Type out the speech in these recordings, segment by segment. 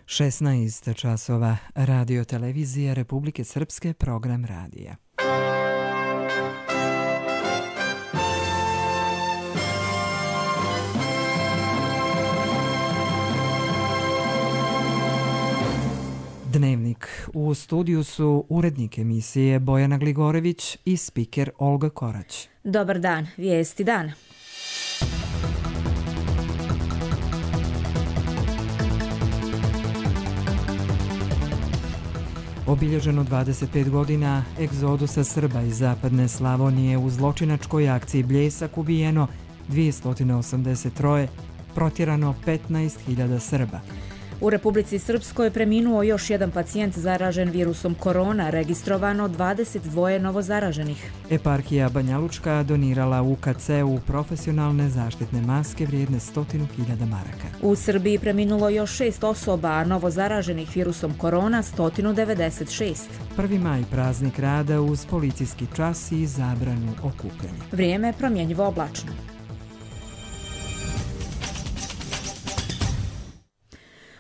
16 časova, Radio televizija Republike Srpske, program radija. Dnevnik. U studiju su urednik emisije Bojana Gligorević i spiker Olga Korać. Dobar dan, vijesti dana. Obilježeno 25 godina egzodusa Srba iz zapadne Slavonije. U zločinačkoj akciji Bljesak ubijeno 283, protjerano 15.000 Srba. U Republici Srpskoj preminuo još jedan pacijent zaražen virusom korona, registrovano 22 novozaraženih. Eparhija Banjalučka donirala UKC-u profesionalne zaštitne maske vrijedne 100.000 maraka. U Srbiji preminulo još 6 osoba, a novozaraženih virusom korona 196. 1. maj praznik rada uz policijski čas i zabranu okupljanja. Vrijeme promjenjivo oblačno.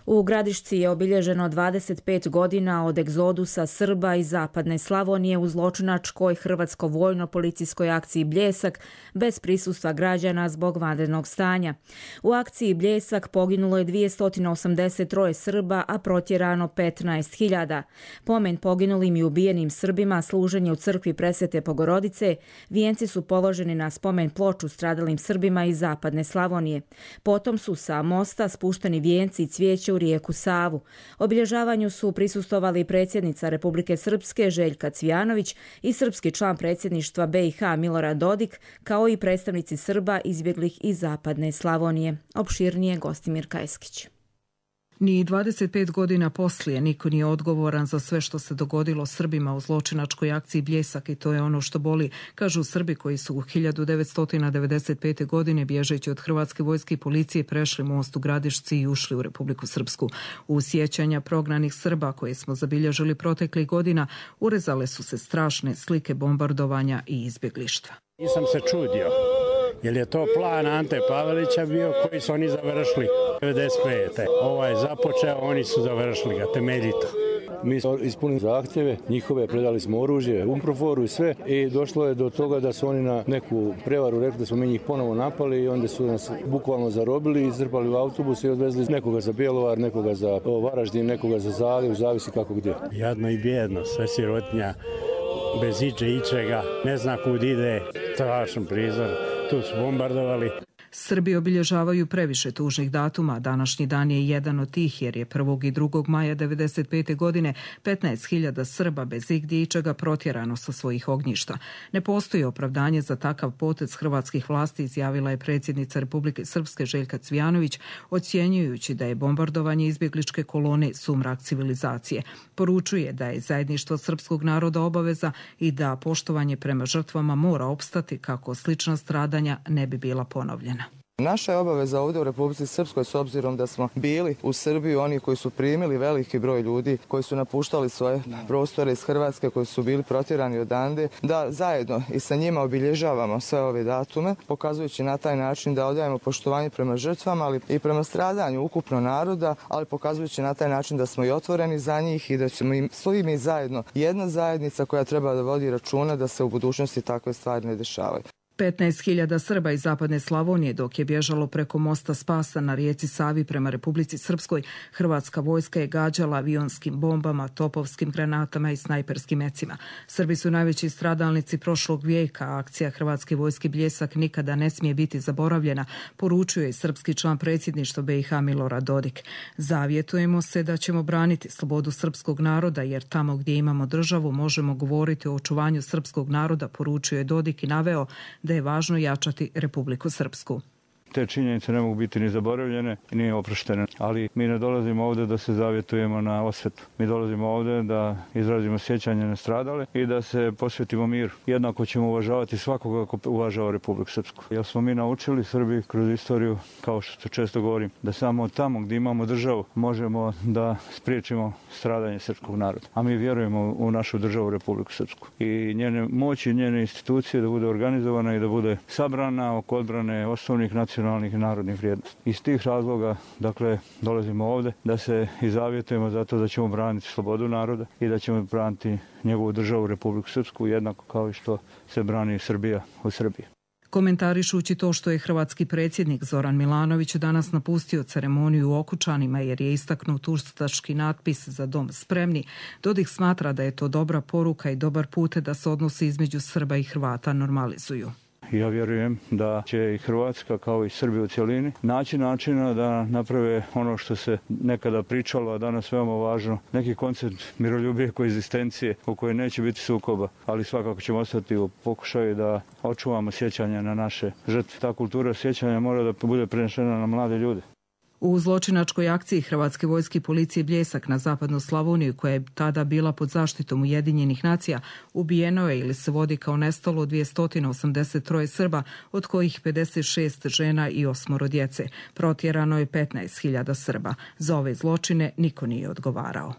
U Gradišci je obilježeno 25 godina od egzodusa Srba iz zapadne Slavonije u zločinačkoj hrvatsko-vojno-policijskoj akciji Bljesak bez prisustva građana zbog vanrednog stanja. U akciji Bljesak poginulo je 283 Srba, a protjerano 15.000. Pomen poginulim i ubijenim Srbima služenje u crkvi Presvete Bogorodice, vijenci su položeni na spomen ploču stradalim Srbima iz zapadne Slavonije. Potom su sa mosta spušteni vijenci i cvijeće u rijeku Savu. Obilježavanju su prisustvovali predsjednica Republike Srpske Željka Cvijanović i srpski član predsjedništva BiH Milorad Dodik, kao i predstavnici Srba izbjeglih iz zapadne Slavonije. Opširnije Gostimir Kajskić. Ni 25 godina poslije niko nije odgovoran za sve što se dogodilo Srbima u zločinačkoj akciji Bljesak i to je ono što boli, kažu Srbi koji su u 1995. godine bježeći od hrvatske vojske i policije prešli most u Gradišci i ušli u Republiku Srpsku. U sjećanja prognanih Srba koje smo zabilježili proteklih godina urezale su se strašne slike bombardovanja i izbjeglištva. Nisam se čudio. Jer je to plan Ante Pavelića bio koji su oni završili 95. Ovo je započeo, oni su završili ga temeljito. Mi smo ispunili zahtjeve, njihove, predali smo oružje, umproforu i sve i došlo je do toga da su oni na neku prevaru rekli da smo mi njih ponovo napali i onda su nas bukvalno zarobili, izrpali u autobus i odvezli nekoga za Bjelovar, nekoga za Varaždin, nekoga za Zagreb, zavisi kako gdje. Jadno i bijedno, sve sirotinja, bez ičega, ne zna kud ide, strašan prizor. Tu su bombardovali. Srbi obilježavaju previše tužnih datuma. Današnji dan je jedan od tih jer je 1. i 2. maja 1995. godine 15.000 Srba bez igdje ičega protjerano sa svojih ognjišta. Ne postoji opravdanje za takav potez hrvatskih vlasti, izjavila je predsjednica Republike Srpske Željka Cvijanović, ocjenjujući da je bombardovanje izbjegličke kolone sumrak civilizacije. Poručuje da je zajedništvo srpskog naroda obaveza i da poštovanje prema žrtvama mora opstati kako slična stradanja ne bi bila ponovljena. Naša je obaveza ovdje u Republici Srpskoj, s obzirom da smo bili u Srbiji oni koji su primili veliki broj ljudi, koji su napuštali svoje prostore iz Hrvatske, koji su bili protjerani odande, da zajedno i sa njima obilježavamo sve ove datume, pokazujući na taj način da odajemo poštovanje prema žrtvama, ali i prema stradanju ukupno naroda, ali pokazujući na taj način da smo i otvoreni za njih i da ćemo im svi mi zajedno jedna zajednica koja treba da vodi računa da se u budućnosti takve stvari ne dešavaju. 15.000 Srba iz zapadne Slavonije dok je bježalo preko mosta Spasa na rijeci Savi prema Republici Srpskoj, hrvatska vojska je gađala avionskim bombama, topovskim granatama i snajperskim mecima. Srbi su najveći stradalnici prošlog vijeka, a akcija hrvatske vojske Bljesak nikada ne smije biti zaboravljena, poručuje i srpski član predsjedništva BiH Milorad Dodik. Zavjetujemo se da ćemo braniti slobodu srpskog naroda jer tamo gdje imamo državu možemo govoriti o očuvanju srpskog naroda, poručuje Dodik i naveo da je važno jačati Republiku Srpsku. Te činjenice ne mogu biti ni zaboravljene, ni oproštene. Ali mi ne dolazimo ovdje da se zavjetujemo na osvetu. Mi dolazimo ovdje da izrazimo sjećanje na stradale i da se posvetimo miru. Jednako ćemo uvažavati svakoga ko uvažava Republiku Srpsku. Jer smo mi naučili Srbi kroz istoriju, kao što često govorim, da samo tamo gdje imamo državu možemo da spriječimo stradanje srpskog naroda. A mi vjerujemo u našu državu Republiku Srpsku. I njene moći, njene institucije da bude organizovana i da bude sabrana oko odbrane osnovnih nacionalnih nacionalnih i narodnih vrijednosti. Iz tih razloga, dakle, dolazimo ovdje da se izavjetujemo zato da ćemo braniti slobodu naroda i da ćemo braniti njegovu državu Republiku Srpsku jednako kao i što se brani Srbija u Srbiji. Komentarišući to što je hrvatski predsjednik Zoran Milanović danas napustio ceremoniju u Okučanima jer je istaknut ustaški natpis Za dom spremni, Dodik smatra da je to dobra poruka i dobar put da se odnosi između Srba i Hrvata normalizuju. Ja vjerujem da će i Hrvatska kao i Srbija u cjelini naći načina da naprave ono što se nekada pričalo, a danas veoma važno, neki koncept miroljubije koegzistencije u kojoj neće biti sukoba, ali svakako ćemo ostati u pokušaju da očuvamo sjećanje na naše žrtve. Ta kultura sjećanja mora da bude prenešena na mlade ljude. U zločinačkoj akciji Hrvatske vojske i policije Bljesak na zapadnu Slavoniju, koja je tada bila pod zaštitom Ujedinjenih nacija, ubijeno je ili se vodi kao nestalo 283 Srba, od kojih 56 žena i 8 djece. Protjerano je 15.000 Srba. Za ove zločine niko nije odgovarao.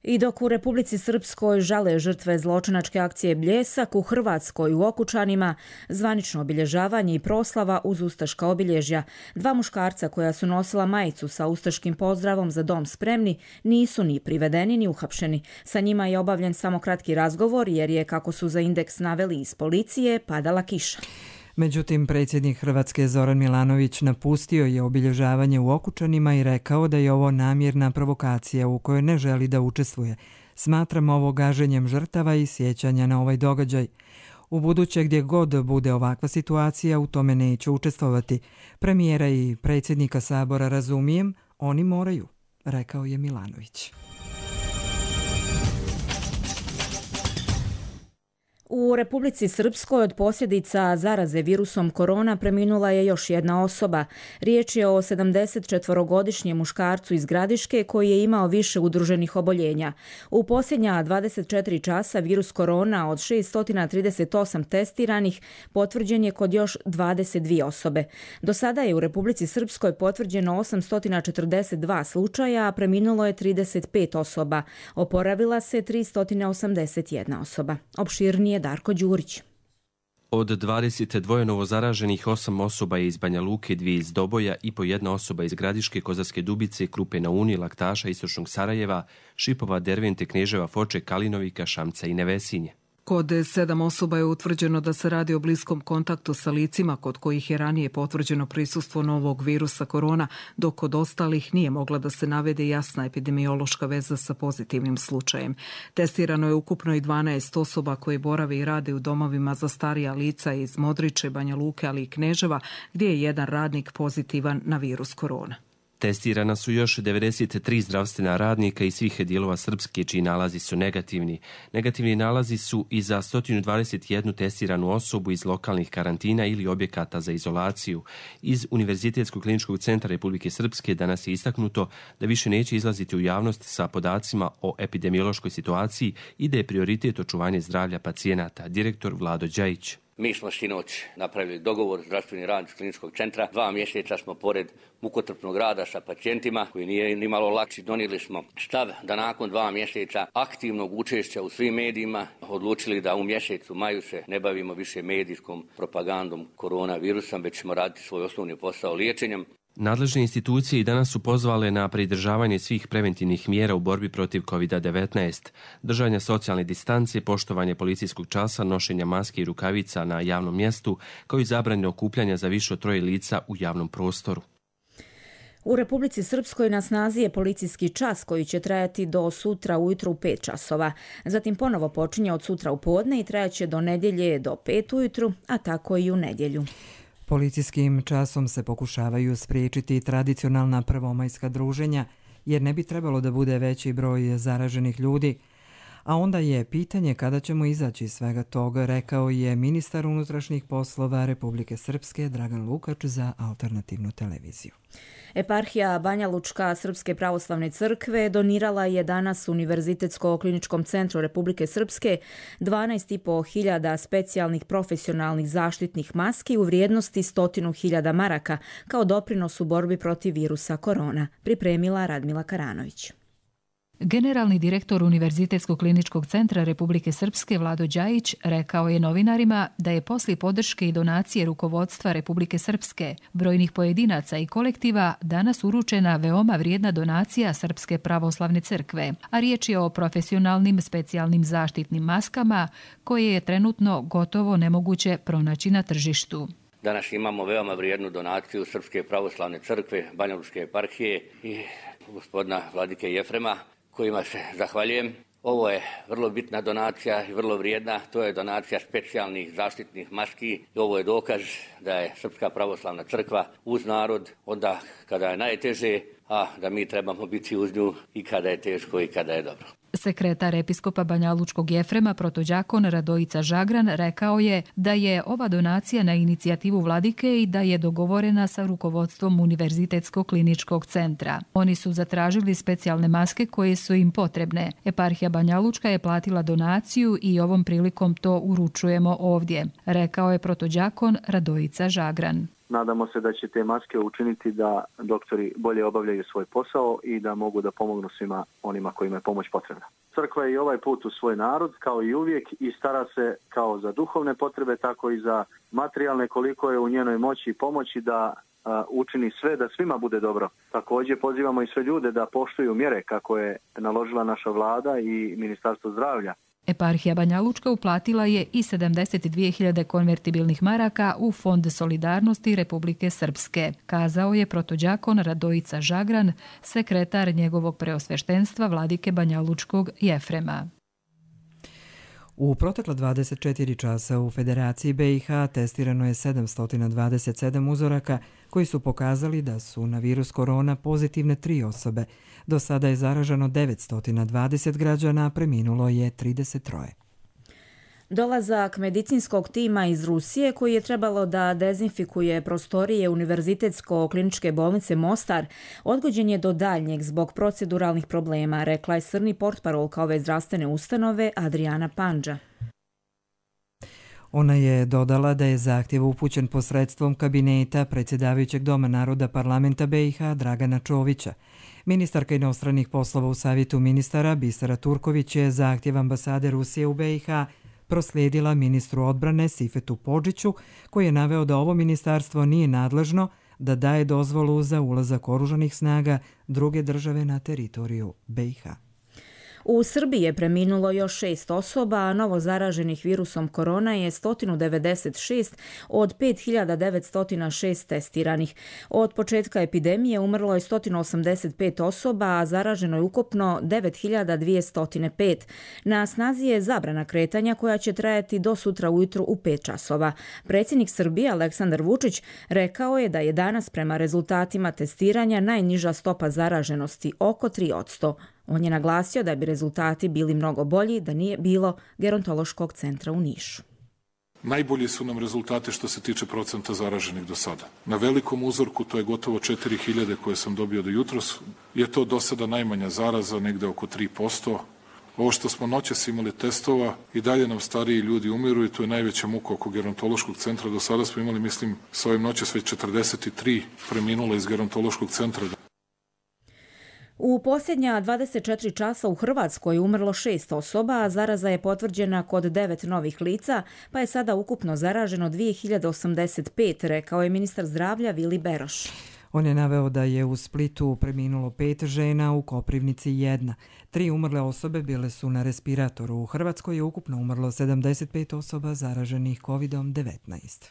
I dok u Republici Srpskoj žale žrtve zločinačke akcije Bljesak, u Hrvatskoj u Okučanima zvanično obilježavanje i proslava uz ustaška obilježja. 2 muškarca koja su nosila majicu sa ustaškim pozdravom Za dom spremni nisu ni privedeni ni uhapšeni. Sa njima je obavljen samo kratki razgovor jer je, kako su za Indeks naveli iz policije, padala kiša. Međutim, predsjednik Hrvatske Zoran Milanović napustio je obilježavanje u Okučanima i rekao da je ovo namjerna provokacija u kojoj ne želi da učestvuje. Smatram ovo gaženjem žrtava i sjećanja na ovaj događaj. U buduće gdje god bude ovakva situacija, u tome neću učestvovati. Premijera i predsjednika Sabora razumijem, oni moraju, rekao je Milanović. U Republici Srpskoj od posljedica zaraze virusom korona preminula je još jedna osoba. Riječ je o 74-godišnjem muškarcu iz Gradiške koji je imao više udruženih oboljenja. U posljednja 24 časa virus korona od 638 testiranih potvrđen je kod još 22 osobe. Do sada je u Republici Srpskoj potvrđeno 842 slučaja, a preminulo je 35 osoba. Oporavila se 381 osoba. Opširnije Darko Đurić. Od 22 novozaraženih 8 osoba je iz Banja Luke, 2 iz Doboja i po 1 osoba iz Gradiške, Kozarske Dubice, Krupe na Uni, Laktaša, Istočnog Sarajeva, Šipova, Dervente, Kneževa, Foče, Kalinovika, Šamca i Nevesinje. Kod 7 osoba je utvrđeno da se radi o bliskom kontaktu sa licima kod kojih je ranije potvrđeno prisustvo novog virusa korona, dok kod ostalih nije mogla da se navede jasna epidemiološka veza sa pozitivnim slučajem. Testirano je ukupno i 12 osoba koje borave i rade u domovima za starija lica iz Modriče, Banja Luke, ali i Kneževa, gdje je jedan radnik pozitivan na virus korona. Testirana su još 93 zdravstvena radnika iz svih dijelova Srpske, čiji nalazi su negativni. Negativni nalazi su i za 121 testiranu osobu iz lokalnih karantina ili objekata za izolaciju. Iz Univerzitetskog kliničkog centra Republike Srpske danas je istaknuto da više neće izlaziti u javnost sa podacima o epidemiološkoj situaciji i da je prioritet očuvanje zdravlja pacijenata, direktor Vlado Đajić. Mi smo sinoć napravili dogovor zdravstveni radnici kliničkog centra. 2 mjeseca smo pored mukotrpnog rada sa pacijentima, koji nije ni malo lakši, donijeli smo stav da nakon 2 mjeseca aktivnog učešća u svim medijima odlučili da u mjesecu maju se ne bavimo više medijskom propagandom koronavirusa, već ćemo raditi svoj osnovni posao liječenjem. Nadležne institucije i danas su pozvale na pridržavanje svih preventivnih mjera u borbi protiv COVID-19, držanja socijalne distance, poštovanje policijskog časa, nošenja maske i rukavica na javnom mjestu, kao i zabrane okupljanja za više od 3 lica u javnom prostoru. U Republici Srpskoj na snazi je policijski čas koji će trajati do sutra ujutro u 5 časova. Zatim ponovo počinje od sutra u podne i trajaće do nedjelje do 5 ujutru, a tako i u nedjelju. Policijskim časom se pokušavaju spriječiti tradicionalna prvomajska druženja, jer ne bi trebalo da bude veći broj zaraženih ljudi. A onda je pitanje kada ćemo izaći iz svega toga, rekao je ministar unutrašnjih poslova Republike Srpske Dragan Lukač za Alternativnu televiziju. Eparhija Banja Lučka Srpske pravoslavne crkve donirala je danas Univerzitetsko-kliničkom centru Republike Srpske 12.500 specijalnih profesionalnih zaštitnih maski u vrijednosti 100.000 maraka kao doprinos u borbi protiv virusa korona, pripremila Radmila Karanović. Generalni direktor Univerzitetskog kliničkog centra Republike Srpske Vlado Đajić rekao je novinarima da je poslije podrške i donacije rukovodstva Republike Srpske, brojnih pojedinaca i kolektiva danas uručena veoma vrijedna donacija Srpske pravoslavne crkve, a riječ je o profesionalnim specijalnim zaštitnim maskama koje je trenutno gotovo nemoguće pronaći na tržištu. Danas imamo veoma vrijednu donaciju Srpske pravoslavne crkve, Banjalučke eparhije i gospodina vladike Jefrema, kojima se zahvaljujem. Ovo je vrlo bitna donacija i vrlo vrijedna. To je donacija specijalnih zaštitnih maski i ovo je dokaz da je Srpska pravoslavna crkva uz narod onda kada je najteže, a da mi trebamo biti uz nju i kada je teško i kada je dobro. Sekretar episkopa Banjalučkog Jefrema protodjakon Radojica Žagran rekao je da je ova donacija na inicijativu vladike i da je dogovorena sa rukovodstvom Univerzitetskog kliničkog centra. Oni su zatražili specijalne maske koje su im potrebne. Eparhija Banjalučka je platila donaciju i ovom prilikom to uručujemo ovdje, rekao je protodjakon Radojica Žagran. Nadamo se da će te maske učiniti da doktori bolje obavljaju svoj posao i da mogu da pomognu svima onima kojima je pomoć potrebna. Crkva je i ovaj put u svoj narod, kao i uvijek, i stara se kao za duhovne potrebe, tako i za materijalne, koliko je u njenoj moći i pomoći da učini sve da svima bude dobro. Također pozivamo i sve ljude da poštuju mjere kako je naložila naša vlada i Ministarstvo zdravlja. Eparhija Banjalučka uplatila je i 72.000 konvertibilnih maraka u Fond solidarnosti Republike Srpske, kazao je protodjakon Radojica Žagran, sekretar njegovog preosveštenstva vladike Banjalučkog Jefrema. U protekla 24 časa u Federaciji BiH testirano je 727 uzoraka koji su pokazali da su na virus korona pozitivne 3 osobe. Do sada je zaraženo 920 građana, a preminulo je 33. Dolazak medicinskog tima iz Rusije koji je trebalo da dezinfikuje prostorije Univerzitetsko-kliničke bolnice Mostar odgođen je do daljnjeg zbog proceduralnih problema, rekla je srni portparolka ove zdravstvene ustanove Adriana Pandža. Ona je dodala da je zahtjev upućen posredstvom kabineta predsjedavajućeg Doma naroda parlamenta BiH Dragana Čovića. Ministarka inostranih poslova u Savjetu ministara Bisera Turković je zahtjev ambasade Rusije u BiH proslijedila ministru odbrane Sifetu Podžiću, koji je naveo da ovo ministarstvo nije nadležno da daje dozvolu za ulazak oružanih snaga druge države na teritoriju BiH. U Srbiji je preminulo još 6 osoba, a novo zaraženih virusom korona je 196 od 5.906 testiranih. Od početka epidemije umrlo je 185 osoba, a zaraženo je ukupno 9.205. Na snazi je zabrana kretanja koja će trajati do sutra ujutru u 5 časova. Predsjednik Srbije Aleksandar Vučić rekao je da je danas prema rezultatima testiranja najniža stopa zaraženosti oko 3%. On je naglasio da bi rezultati bili mnogo bolji da nije bilo gerontološkog centra u Nišu. Najbolji su nam rezultate što se tiče procenta zaraženih do sada. Na velikom uzorku, to je gotovo 4.000 koje sam dobio do jutros, je to do sada najmanja zaraza, negde oko 3%. Ovo što smo noćas imali testova, i dalje nam stariji ljudi umiru i to je najveća muka oko gerontološkog centra. Do sada smo imali, mislim, sa ovim noćas već 43 preminula iz gerontološkog centra. U posljednja 24 časa u Hrvatskoj umrlo 6 osoba, a zaraza je potvrđena kod 9 novih lica, pa je sada ukupno zaraženo 2085, rekao je ministar zdravlja Vili Beroš. On je naveo da je u Splitu preminulo 5 žena, u Koprivnici 1. 3 umrle osobe bile su na respiratoru. U Hrvatskoj je ukupno umrlo 75 osoba zaraženih COVID-19.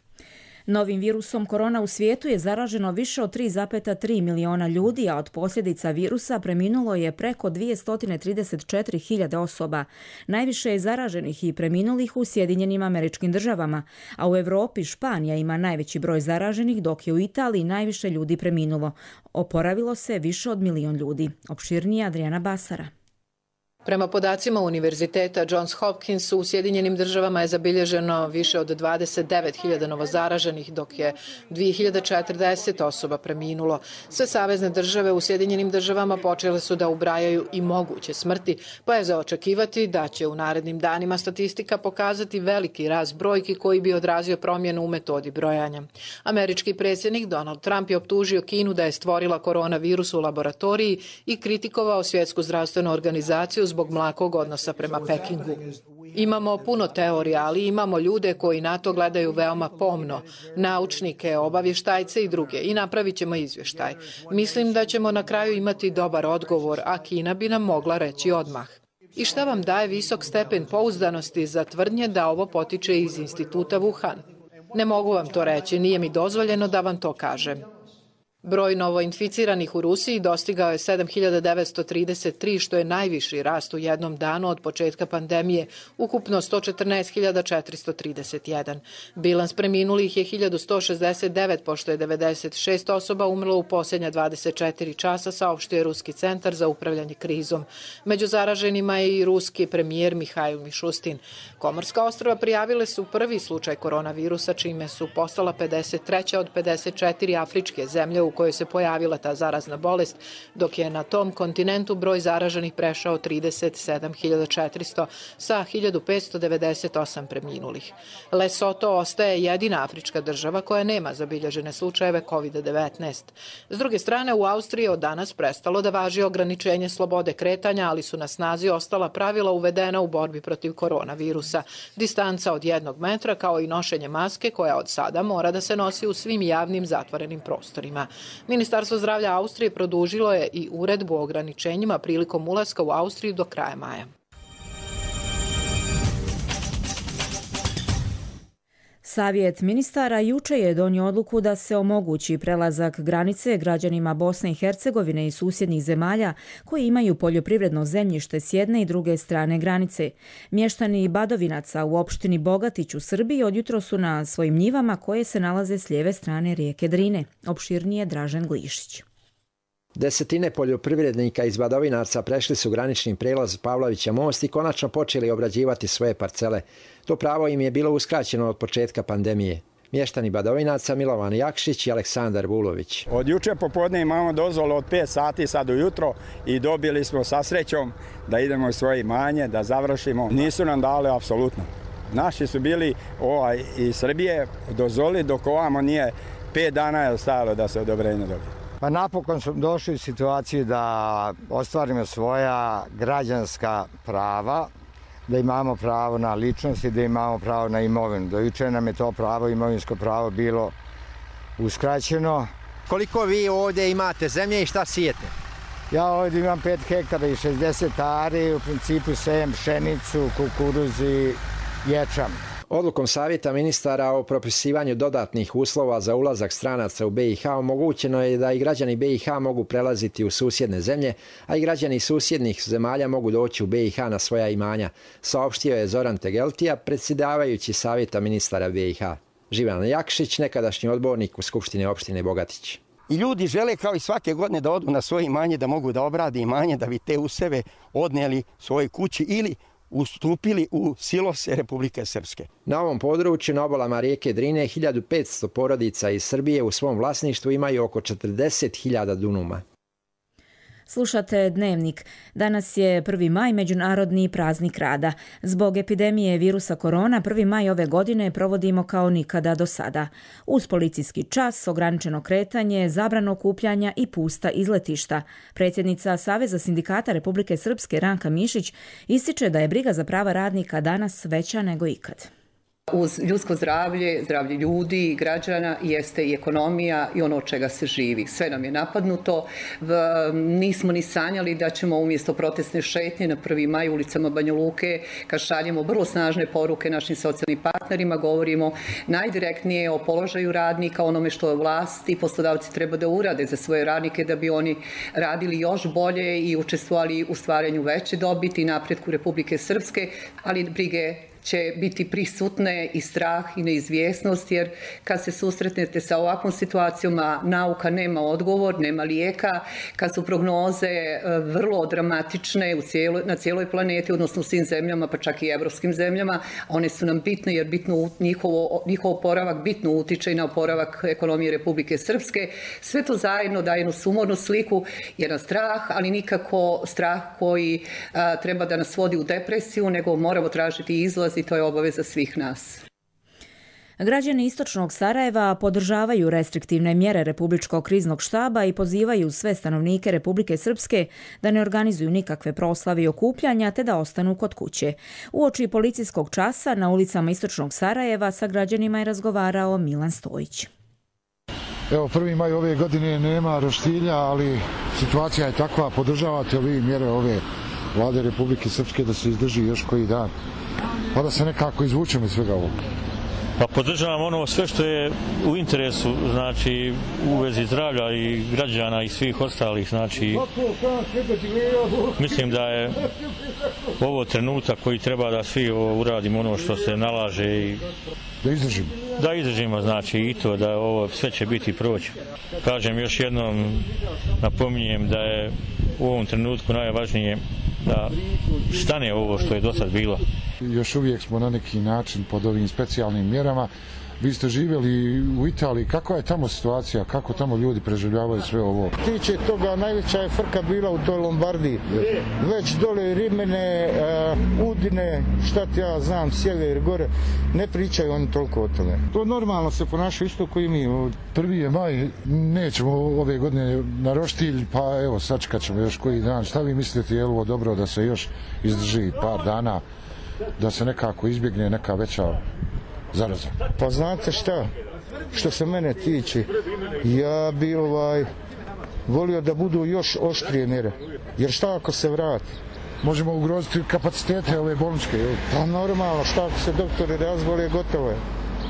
Novim virusom korona u svijetu je zaraženo više od 3,3 miliona ljudi, a od posljedica virusa preminulo je preko 234.000 osoba. Najviše je zaraženih i preminulih u Sjedinjenim Američkim Državama, a u Europi Španija ima najveći broj zaraženih, dok je u Italiji najviše ljudi preminulo. Oporavilo se više od 1 milion ljudi. Opširnije Adriana Basara. Prema podacima Univerziteta Johns Hopkins u Sjedinjenim državama je zabilježeno više od 29.000 novozaraženih, dok je 2040 osoba preminulo. Sve savezne države u Sjedinjenim državama počele su da ubrajaju i moguće smrti, pa je za očekivati da će u narednim danima statistika pokazati veliki rast brojki koji bi odrazio promjenu u metodi brojanja. Američki predsjednik Donald Trump je optužio Kinu da je stvorila koronavirus u laboratoriji i kritikovao Svjetsku zdravstvenu organizaciju zbog mlakog odnosa prema Pekingu. Imamo puno teorija, ali imamo ljude koji na to gledaju veoma pomno, naučnike, obavještajce i druge, i napravit ćemo izvještaj. Mislim da ćemo na kraju imati dobar odgovor, a Kina bi nam mogla reći odmah. I šta vam daje visok stepen pouzdanosti za tvrdnje da ovo potiče iz instituta Wuhan? Ne mogu vam to reći, nije mi dozvoljeno da vam to kažem. Broj novoinficiranih u Rusiji dostigao je 7.933, što je najviši rast u jednom danu od početka pandemije, ukupno 114.431. Bilans preminulih je 1.169, pošto je 96 osoba umrlo u posljednja 24 časa, saopštio je Ruski centar za upravljanje krizom. Među zaraženima je i ruski premijer Mihajl Mišustin. Komorska ostrva prijavile su prvi slučaj koronavirusa, čime su postala 53. od 54 afričke zemlje u kojoj se pojavila ta zarazna bolest, dok je na tom kontinentu broj zaraženih prešao 37.400 sa 1.598 preminulih. Lesoto ostaje jedina afrička država koja nema zabilježene slučajeve COVID-19. S druge strane, u Austriji od danas prestalo da važi ograničenje slobode kretanja, ali su na snazi ostala pravila uvedena u borbi protiv koronavirusa. Distanca od 1 metra, kao i nošenje maske, koja od sada mora da se nosi u svim javnim zatvorenim prostorima. Ministarstvo zdravlja Austrije produžilo je i uredbu o ograničenjima prilikom ulaska u Austriju do kraja maja. Savjet ministara juče je donio odluku da se omogući prelazak granice građanima Bosne i Hercegovine i susjednih zemalja koji imaju poljoprivredno zemljište s jedne i druge strane granice. Mještani Badovinaca u opštini Bogatić u Srbiji odjutro su na svojim njivama koje se nalaze s lijeve strane rijeke Drine. Opširnije Dražen Glišić. Desetine poljoprivrednika iz Badovinaca prešli su granični prijelaz Pavlovića most i konačno počeli obrađivati svoje parcele. To pravo im je bilo uskraćeno od početka pandemije. Mještani Badovinaca Milovan Jakšić i Aleksandar Vulović. Od juče popodne imamo dozvolu od 5 sati sad ujutro i dobili smo sa srećom da idemo u svoje imanje, da završimo. Nisu nam dali apsolutno. Naši su bili iz Srbije dozvoli dok ovamo nije 5 dana je stajalo da se odobrenje dobije. Pa napokon smo došli u situaciju da ostvarimo svoja građanska prava, da imamo pravo na ličnost i da imamo pravo na imovinu. Do juče nam je to pravo, imovinsko pravo, bilo uskraćeno. Koliko vi ovdje imate zemlje i šta sijete? Ja ovdje imam 5 hektara i 60 ari, u principu sejem pšenicu, kukuruz i ječam. Odlukom Savjeta ministara o propisivanju dodatnih uslova za ulazak stranaca u BiH omogućeno je da i građani BiH mogu prelaziti u susjedne zemlje, a i građani susjednih zemalja mogu doći u BiH na svoja imanja, saopštio je Zoran Tegeltija, predsjedavajući Savjeta ministara BiH. Živan Jakšić, nekadašnji odbornik u Skupštini opštine Bogatić. I ljudi žele kao i svake godine da odu na svoje imanje, da mogu da obrade imanje, da bi te useve odnijeli svoje kući ili ustupili u silose Republike Srpske. Na ovom području, na obalama rijeke Drine, 1500 porodica iz Srbije u svom vlasništvu imaju oko 40.000 dunuma. Slušate Dnevnik. Danas je 1. maj, međunarodni praznik rada. Zbog epidemije virusa korona, 1. maj ove godine provodimo kao nikada do sada. Uz policijski čas, ograničeno kretanje, zabrano okupljanja i pusta izletišta. Predsjednica Saveza sindikata Republike Srpske Ranka Mišić ističe da je briga za prava radnika danas veća nego ikad. Uz ljudsko zdravlje, zdravlje ljudi, građana, jeste i ekonomija i ono od čega se živi. Sve nam je napadnuto. Nismo ni sanjali da ćemo umjesto protestne šetnje na 1. maj ulicama Banja Luke, kad šaljemo vrlo snažne poruke našim socijalnim partnerima, govorimo najdirektnije o položaju radnika, onome što je vlast i poslodavci treba da urade za svoje radnike da bi oni radili još bolje i učestvovali u stvaranju veće dobiti i napretku Republike Srpske, ali brige će biti prisutne i strah i neizvjesnost, jer kad se susretnete sa ovakvom situacijama, nauka nema odgovor, nema lijeka, kad su prognoze vrlo dramatične na cijeloj planeti, odnosno u svim zemljama, pa čak i evropskim zemljama, one su nam bitne jer njihov oporavak bitno utiče i na oporavak ekonomije Republike Srpske. Sve to zajedno daje jednu sumornu sliku, jedan strah, ali nikako strah koji treba da nas vodi u depresiju, nego moramo tražiti izlaz i to je obaveza svih nas. Građani istočnog Sarajeva podržavaju restriktivne mjere Republičkog kriznog štaba i pozivaju sve stanovnike Republike Srpske da ne organizuju nikakve proslave i okupljanja te da ostanu kod kuće. Uoči policijskog časa na ulicama istočnog Sarajeva sa građanima je razgovarao Milan Stojić. Evo, 1. maj ove godine nema roštilja, ali situacija je takva. Podržavate vi mjere ove vlade Republike Srpske da se izdrži još koji dan, pa da se nekako izvučemo iz svega ovoga? Pa podržavam ono sve što je u interesu, znači u vezi zdravlja i građana i svih ostalih, znači mislim da je ovo trenutak koji treba da svi uradimo ono što se nalaže i da izdržimo, znači i to da ovo sve će biti proći. Kažem još jednom, napominjem da je u ovom trenutku najvažnije da stane ovo što je do sad bilo. Još uvijek smo na neki način pod ovim specijalnim mjerama. Vi ste živjeli u Italiji, kakva je tamo situacija, kako tamo ljudi preživljavaju sve ovo? Tiče toga, najveća je frka bila u toj Lombardiji. Već dole Rimene, Udine, šta ti ja znam, sjever, gore, ne pričaju oni toliko o tome. To normalno se ponaša isto koji mi ovdje. 1. maj, nećemo ove godine na roštilj, pa evo sačekat ćemo još koji dan. Šta vi mislite, je li ovo dobro da se još izdrži par dana, da se nekako izbjegne neka veća zaraza? Pa znate šta, što se mene tiče, ja bi volio da budu još oštrije mjere, jer šta ako se vrati? Možemo ugroziti kapacitete ove bolničke, jel? Pa normalno, šta ako se doktori razbole, gotovo je.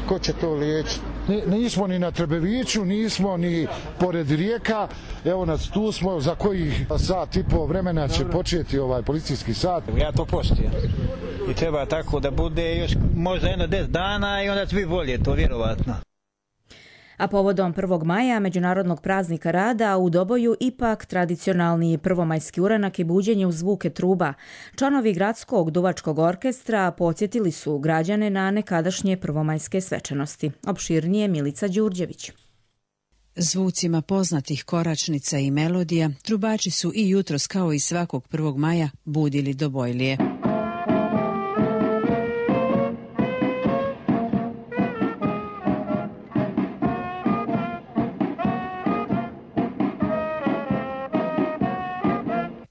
Ko će to liječiti? Nismo ni na Trebeviću, nismo ni pored rijeka, evo nas tu smo, za kojih sat i po vremena će početi ovaj policijski sat. Ja to poštujem i treba tako da bude još možda 10 dana i onda će biti bolje, to vjerovatno. A povodom 1. maja, međunarodnog praznika rada, u Doboju ipak tradicionalni prvomajski uranak i buđenje uz zvuke truba. Članovi gradskog duvačkog orkestra podsjetili su građane na nekadašnje prvomajske svečanosti. Opširnije Milica Đurđević. Zvucima poznatih koračnica i melodija, trubači su i jutros kao i svakog 1. maja budili Dobojlije.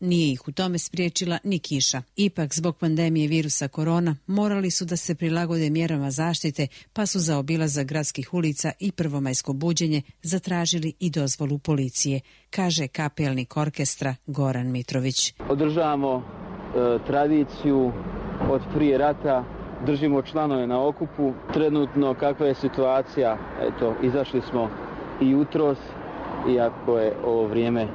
Nije ih u tome spriječila ni kiša. Ipak, zbog pandemije virusa korona, morali su da se prilagode mjerama zaštite, pa su za obilazak gradskih ulica i prvomajsko buđenje zatražili i dozvolu policije, kaže kapelnik orkestra Goran Mitrović. Održavamo tradiciju od prije rata, držimo članove na okupu. Trenutno kakva je situacija, eto, izašli smo i jutros, iako je ovo vrijeme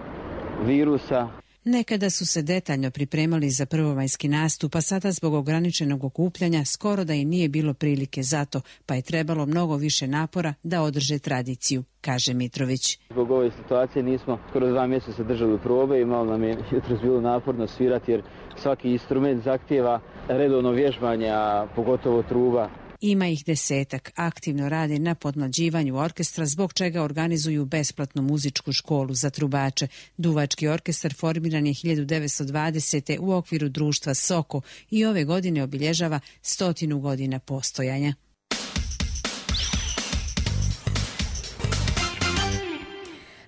virusa. Nekada su se detaljno pripremali za prvomajski nastup, a sada zbog ograničenog okupljanja skoro da i nije bilo prilike za to, pa je trebalo mnogo više napora da održe tradiciju, kaže Mitrović. Zbog ove situacije nismo skoro 2 mjeseca držali probe i malo nam je jutros bilo naporno svirati jer svaki instrument zahtijeva redovno vježbanje, a pogotovo truba. Ima ih 10-ak, aktivno rade na podmlađivanju orkestra, zbog čega organizuju besplatnu muzičku školu za trubače. Duvački orkestar formiran je 1920. u okviru društva Soko i ove godine obilježava 100 godina postojanja.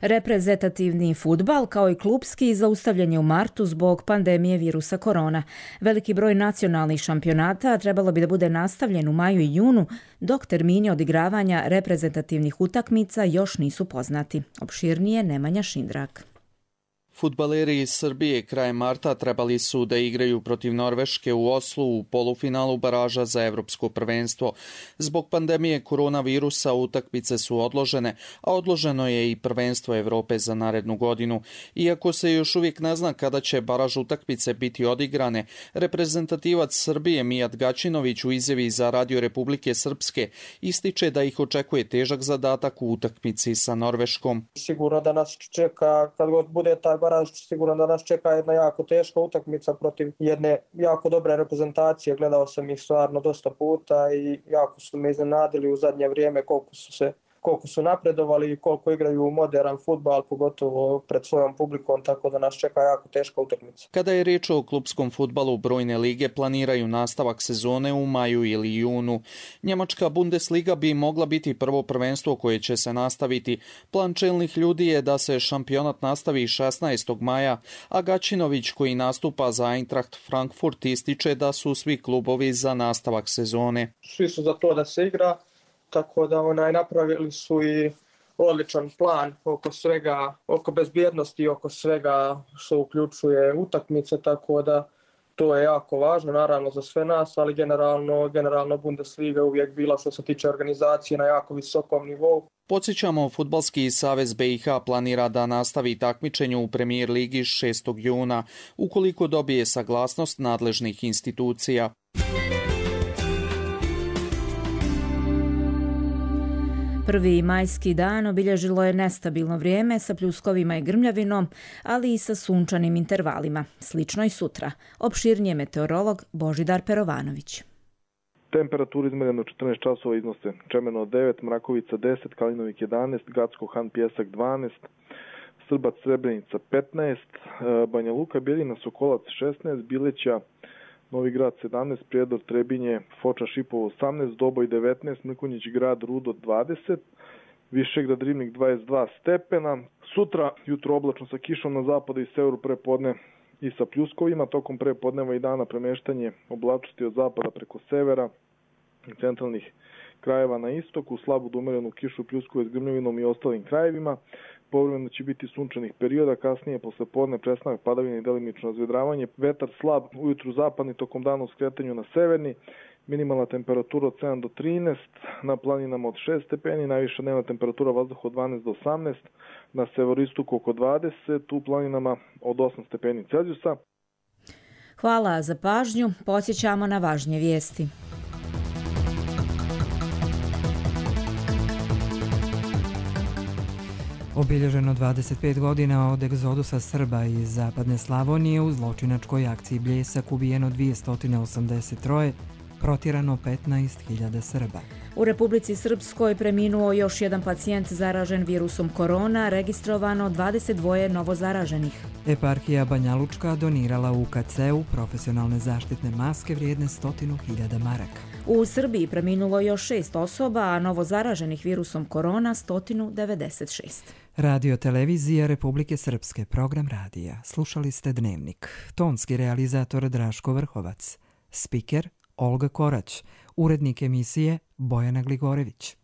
Reprezentativni fudbal kao i klupski zaustavljen je u martu zbog pandemije virusa korona. Veliki broj nacionalnih šampionata trebalo bi da bude nastavljen u maju i junu, dok termini odigravanja reprezentativnih utakmica još nisu poznati. Opširnije Nemanja Šindrak. Fudbaleri iz Srbije krajem marta trebali su da igraju protiv Norveške u Oslu u polufinalu baraža za evropsko prvenstvo. Zbog pandemije koronavirusa utakmice su odložene, a odloženo je i prvenstvo Evrope za narednu godinu. Iako se još uvijek ne zna kada će baraž utakmice biti odigrane, reprezentativac Srbije Mijat Gaćinović u izjavi za Radio Republike Srpske ističe da ih očekuje težak zadatak u utakmici sa Norveškom. Sigurno da nas čeka, kad god bude taj baraž, sigurno da nas čeka jedna jako teška utakmica protiv jedne jako dobre reprezentacije. Gledao sam ih stvarno dosta puta i jako su me iznenadili u zadnje vrijeme koliko su napredovali i koliko igraju moderan fudbal, pogotovo pred svojom publikom, tako da nas čeka jako teška utakmica. Kada je riječ o klupskom fudbalu, brojne lige planiraju nastavak sezone u maju ili junu. Njemačka Bundesliga bi mogla biti prvo prvenstvo koje će se nastaviti. Plan čelnih ljudi je da se šampionat nastavi 16. maja, a Gaćinović, koji nastupa za Eintracht Frankfurt, ističe da su svi klubovi za nastavak sezone. Svi su za to da se igra, tako da napravili su i odličan plan oko svega, oko bezbjednosti, oko svega što uključuje utakmice, tako da to je jako važno, naravno za sve nas, ali generalno Bundesliga uvijek bila što se tiče organizacije na jako visokom nivou. Podsjećamo, Fudbalski savez BiH planira da nastavi takmičenje u Premier ligi 6. juna, ukoliko dobije saglasnost nadležnih institucija. Prvi majski dan obilježilo je nestabilno vrijeme sa pljuskovima i grmljavinom, ali i sa sunčanim intervalima. Slično i sutra. Opširnije meteorolog Božidar Perovanović. Temperaturi izmjereno 14 časova iznose Čemeno 9, Mrakovica 10, Kalinovik 11, Gacko Han Pjesak 12, Srbac Srebrenica 15, Banja Luka, Bjeljina, Sokolac 16, Bileća, Novi Grad 17, Prijedor, Trebinje, Foča, Šipovo 18, Doboj 19, Mrkonjić Grad, Rudo 20, Višegrad, Rivnik 22 stepena. Sutra jutro oblačno sa kišom na zapadu i severu, prepodne i sa pljuskovima. Tokom prepodneva i dana premeštanje oblačnosti od zapada preko severa i centralnih krajeva na istoku, slabu do umerenu kišu, pljuskovje s grmljavinom i ostalim krajevima. Povremeno će biti sunčanih perioda, kasnije posle podne prestanak padavine i delimično razvedravanje. Vetar slab, ujutru zapadni, tokom dana u skretanju na severni. Minimalna temperatura od 7 do 13, na planinama od 6 stepeni, najviša dnevna temperatura vazduha od 12 do 18, na severistoku oko 20, u planinama od 8 stepeni Celzijusa. Hvala za pažnju, podsjećamo na važnije vijesti. Obilježeno 25 godina od egzodusa Srba iz zapadne Slavonije, u zločinačkoj akciji Bljesak ubijeno 283, protjerano 15.000 Srba. U Republici Srpskoj preminuo još jedan pacijent zaražen virusom korona, registrovano 22 novozaraženih. Eparhija Banjalučka donirala UKC-u profesionalne zaštitne maske vrijedne 100.000 maraka. U Srbiji preminulo još 6 osoba, a novozaraženih virusom korona 196. Radio televizija Republike Srpske, program radija. Slušali ste Dnevnik. Tonski realizator Draško Vrhovac. Spiker Olga Korać. Urednik emisije Bojana Gligorević.